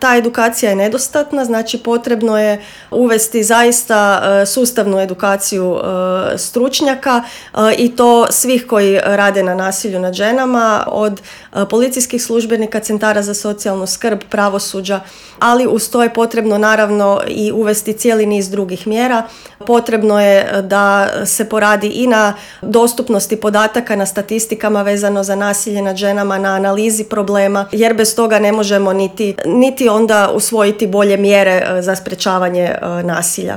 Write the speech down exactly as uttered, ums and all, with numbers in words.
Ta edukacija je nedostatna, znači potrebno je uvesti zaista sustavnu edukaciju stručnjaka i to svih koji rade na nasilju nad ženama, od policijskih službenika, centara za socijalnu skrb, pravosuđa, ali uz to je potrebno naravno i uvesti cijeli niz drugih mjera. Potrebno je da se poradi i na dostupnosti podataka, na statistikama vezano za nasilje nad ženama, na analizi problema, jer bez toga ne možemo niti, niti onda usvojiti bolje mjere za sprečavanje nasilja.